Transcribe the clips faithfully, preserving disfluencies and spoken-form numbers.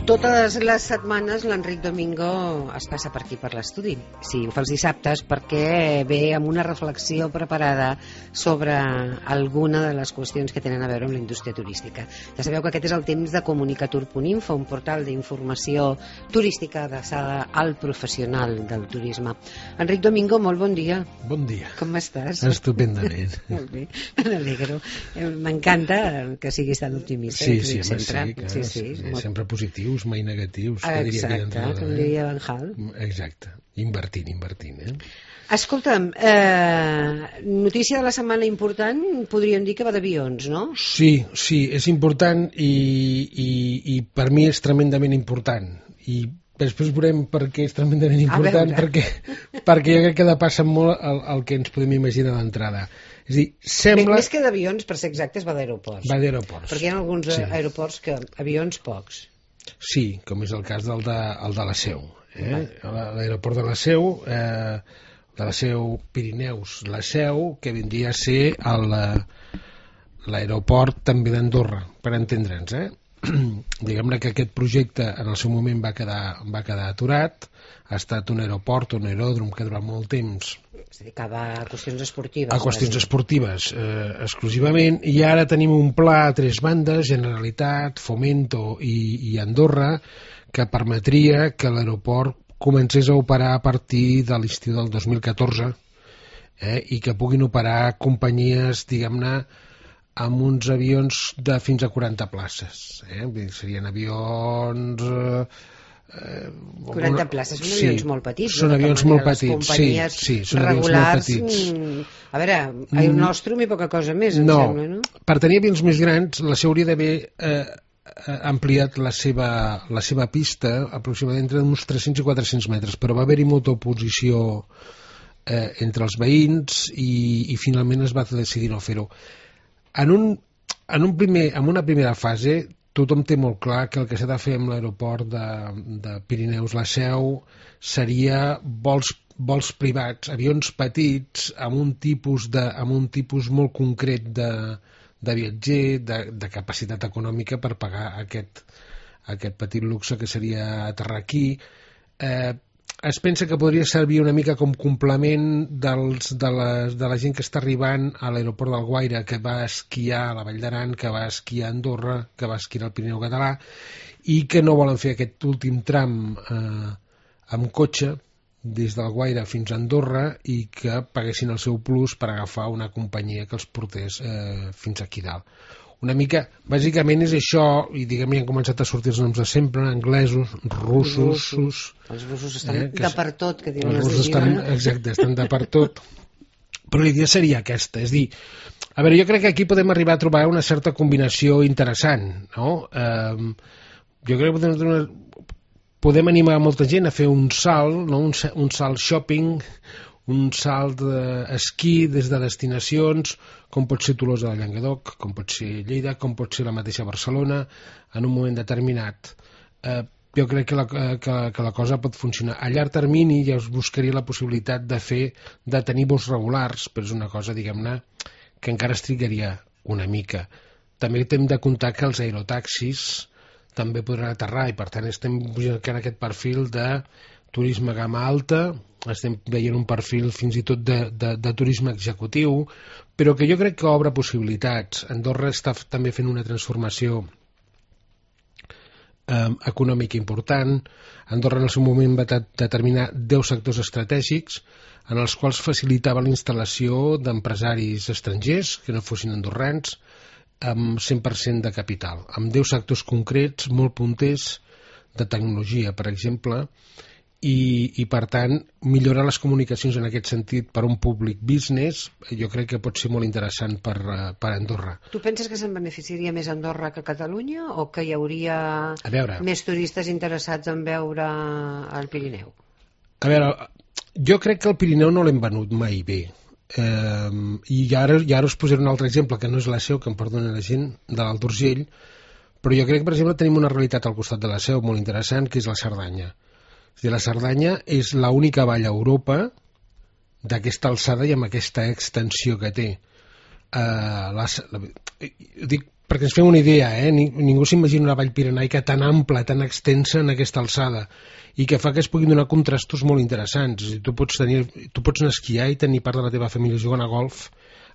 Totes les setmanes l'Enric Domingo es passa per aquí per l'estudi. Sí, ho fa els dissabtes perquè ve amb una reflexió preparada sobre alguna de les qüestions que tenen a veure amb la indústria turística. Ja sabeu que aquest és el temps de comunicatur punt info, un portal d'informació turística adreçada al professional del turisme. Enric Domingo, molt bon dia. Bon dia. Com estàs? Estupendament. Molt bé, me n'alegro. M'encanta que siguis tan optimista. Sí, sí, home, sempre. sí, clar, sí, sí, sí, molt... sempre positius, mai negatius. Exacte, com diria Van Gaal. Exacte, invertint, invertint. Eh? Escolta'm, eh, notícia de la setmana important, podríem dir que va d'avions, no? Sí, sí, és important i, i, i per mi és tremendament important. I després veurem per què és tremendament important, perquè, perquè jo crec que depassa molt el, el que ens podem imaginar d'entrada. És a dir, sembla... Més que d'avions, per ser exactes, va d'aeroports. Va d'aeroports. Perquè hi ha alguns sí. aeroports que avions pocs. Sí, com és el cas del de, el de la Seu. Eh? L'aeroport de la Seu, eh, de la Seu Pirineus, la Seu, que vindria a ser l'aeroport també d'Andorra, per entendre'ns. Eh? Diguem-ne que aquest projecte en el seu moment va quedar, va quedar aturat, ha estat un aeroport, un aeròdrom que ha durat molt temps. Es dedicava a qüestions esportives. A qüestions bàsic. esportives eh, exclusivament, i ara tenim un pla a tres bandes, Generalitat, Fomento i, i Andorra, que permetria que l'aeroport comencés a operar a partir de l'estiu del dos mil catorze eh, i que puguin operar companyies, diguem-ne, amb uns avions de fins a quaranta places. Eh? Serien avions... Eh, Eh, quaranta places, són avions sí, molt petits. Són avions molt petits, sí, sí, són avions molt petits. Mm, a veure, el nostre i poca cosa més, em no, sembla, no? Per tenir avions més grans, la Seu hauria d'haver eh, ampliat la seva, la seva pista aproximadament entre uns tres-cents i quatre-cents metres, però va haver-hi molta oposició eh, entre els veïns i, i finalment es va decidir no fer-ho. En, un, en, un primer, en una primera fase tothom té molt clar que el que s'ha de fer amb l'aeroport de, de Pirineus la Seu seria vols, vols privats, avions petits amb un tipus, de, amb un tipus molt concret de, de viatger, de, de capacitat econòmica per pagar aquest, aquest petit luxe que seria aterrar aquí. Eh, es pensa que podria servir una mica com complement dels, de, les, de la gent que està arribant a l'aeroport d'Alguaire, que va esquiar a la Vall d'Aran, que va esquiar a Andorra, que va esquiar al Pirineu català, i que no volen fer aquest últim tram eh, amb cotxe des d'Alguaire fins a Andorra i que paguessin el seu plus per agafar una companyia que els portés eh, fins aquí dalt. Una mica, bàsicament és això, i diguem ja han començat a sortir els noms de sempre, anglesos, russos... russos els russos estan eh, de per tot, que diuen els les russos de Girona. Estan, exacte, estan de per tot. Però la idea seria aquesta, és dir, a veure, jo crec que aquí podem arribar a trobar una certa combinació interessant, no? Eh, jo crec que podem, podem animar molta gent a fer un salt, no? un, un salt shopping, un salt d'esquí des de destinacions com pot ser Tolosa de Llenguadoc, com pot ser Lleida, com pot ser la mateixa Barcelona, en un moment determinat. Eh, jo crec que la, que, que la cosa pot funcionar. A llarg termini ja us buscaria la possibilitat de fer, de tenir vols regulars, però és una cosa, diguem-ne, que encara es trigaria una mica. També hem de comptar que els aerotaxis també podran aterrar i per tant estem buscant aquest perfil de turisme gamma alta, estem veient un perfil fins i tot de, de, de turisme executiu, però que jo crec que obre possibilitats. Andorra està també fent una transformació eh, econòmica important. Andorra en el seu moment va determinar deu sectors estratègics en els quals facilitava la instal·lació d'empresaris estrangers que no fossin andorrans amb cent per cent de capital, amb deu sectors concrets molt punters de tecnologia, per exemple, i, i per tant millorar les comunicacions en aquest sentit per un públic business jo crec que pot ser molt interessant per, per Andorra. Tu penses que se'n beneficiaria més Andorra que Catalunya o que hi hauria veure, més turistes interessats en veure el Pirineu? A veure, jo crec que el Pirineu no l'hem venut mai bé. Eh, i ara, i ara us posaré un altre exemple que no és la Seu, que em perdona la gent de l'Alt Urgell, però jo crec que per exemple tenim una realitat al costat de la Seu molt interessant, que és la Cerdanya. És dir, la Cerdanya és l'única vall a Europa d'aquesta alçada i amb aquesta extensió que té. Uh, la, la, dic perquè ens fem una idea, eh? Ningú s'imagina una vall pirenaica tan ampla, tan extensa en aquesta alçada, i que fa que es puguin donar contrastos molt interessants. Tu pots, tenir, tu pots anar a esquiar i tenir part de la teva família jugant a golf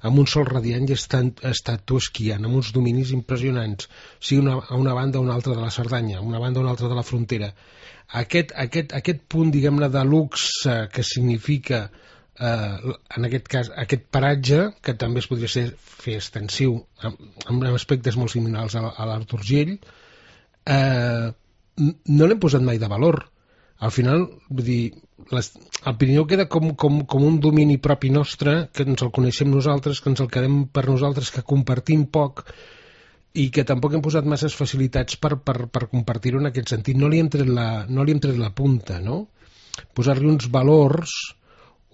amb un sol radiant i estar, estar tu esquiant, amb uns dominis impressionants, sigui una, a una banda o una altra de la Cerdanya, a una banda o una altra de la frontera. Aquest, aquest, aquest punt, diguem-ne, de luxe que significa, eh, en aquest cas, aquest paratge, que també es podria ser, fer extensiu amb, amb aspectes molt similars a, a l'Arturgell, eh, no l'hem posat mai de valor. Al final, vull dir, les, el Pirineu queda com, com, com un domini propi nostre, que ens el coneixem nosaltres, que ens el quedem per nosaltres, que compartim poc i que tampoc hem posat masses facilitats per, per, per compartir-ho en aquest sentit. No li hem tret la, no li hem tret la punta, no? Posar-li uns valors,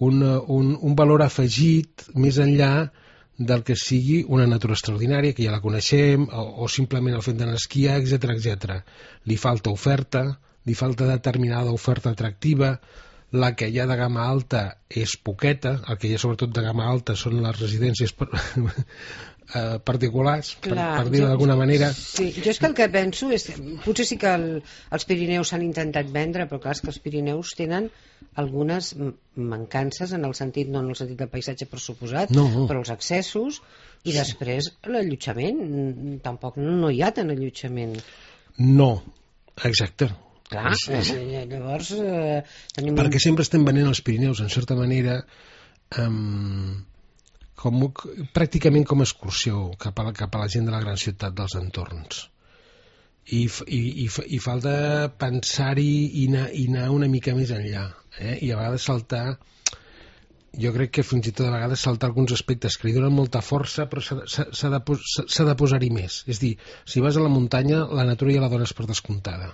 un, un, un valor afegit més enllà del que sigui una natura extraordinària, que ja la coneixem, o, o simplement el fet d'anar a esquiar, etcètera, etcètera. Li falta oferta, li falta determinada oferta atractiva, la que hi ha de gamma alta és poqueta, el que hi ha sobretot de gamma alta són les residències per, eh, particulars, Clar, per, per dir-ho d'alguna manera. Sí, jo és que el que penso és, potser sí que el, els Pirineus s'han intentat vendre, però clar, és que els Pirineus tenen algunes mancances en el sentit, no en el sentit del paisatge per suposat, no. però els accessos i després l'allotjament, tampoc no hi ha tant allotjament. No, exacte. Clar, sí. Llavors eh, tenim perquè un... sempre estem venent els Pirineus en certa manera um, com, pràcticament com a excursió cap a, la, cap a la gent de la gran ciutat dels entorns i, i, i, i falta pensar-hi i anar, i anar una mica més enllà, eh? I a vegades saltar, jo crec que fins i tot a vegades saltar alguns aspectes que li donen molta força, però s'ha de, s'ha de posar-hi més. És dir, si vas a la muntanya la natura ja la dones per descomptada,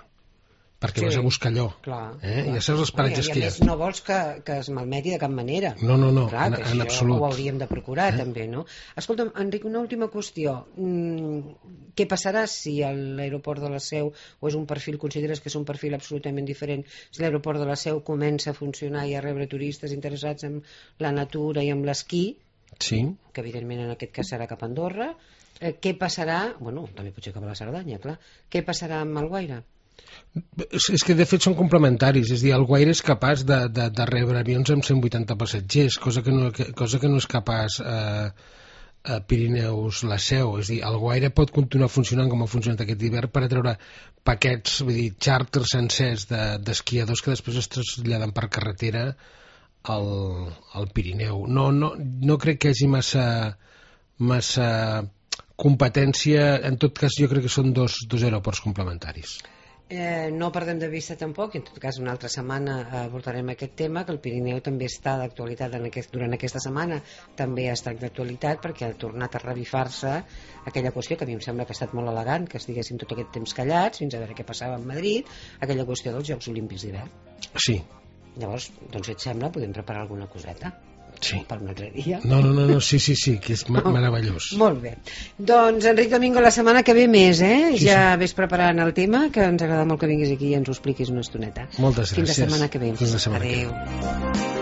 perquè sí, vas a buscar allò, clar, eh? clar. I això és els paratges que hi ha. I a més no vols que, que es malmeti de cap manera. No, no, no, clar, en, en absolut. Ho hauríem de procurar, eh? També, no? Escolta'm, Enric, una última qüestió. Mm, què passarà si l'aeroport de la Seu, o és un perfil, consideres que és un perfil absolutament diferent, si l'aeroport de la Seu comença a funcionar i a rebre turistes interessats en la natura i en l'esquí, sí, que evidentment en aquest cas serà cap a Andorra, eh, què passarà, bueno, també potser cap a la Cerdanya, clar, què passarà amb Alguaire? És que de fet són complementaris, és a dir, Alguaire és capaç de, de, de rebre avions amb cent vuitanta passatgers, cosa que no, que, cosa que no és capaç eh, a Pirineus la Seu. És a dir, Alguaire pot continuar funcionant com ha funcionat aquest hivern per atreure paquets, vull dir, xàrters sencers d'esquiadors de, que després es traslladen per carretera al, al Pirineu. No, no, no crec que hi hagi massa, massa competència, en tot cas jo crec que són dos, dos aeroports complementaris. Eh, no perdem de vista tampoc, en tot cas una altra setmana abordarem aquest tema, que el Pirineu també està d'actualitat en aquest, durant aquesta setmana també ha estat d'actualitat perquè ha tornat a revifar-se aquella qüestió que a mi em sembla que ha estat molt elegant, que estiguessin tot aquest temps callats fins a veure què passava a Madrid, aquella qüestió dels Jocs Olímpics d'hivern. Sí. Llavors, doncs si et sembla podem preparar alguna coseta. Sí. Per un altre dia. No, no, no, no, sí, sí, sí, que és meravellós. Molt bé. Doncs, Enric Domingo, la setmana que ve més, eh? Sí, ja sí. Ves preparant el tema, que ens agrada molt que vinguis aquí i ens ho expliquis una estoneta. Moltes gràcies. Fins la setmana que ve. Fins la setmana Adéu. que ve.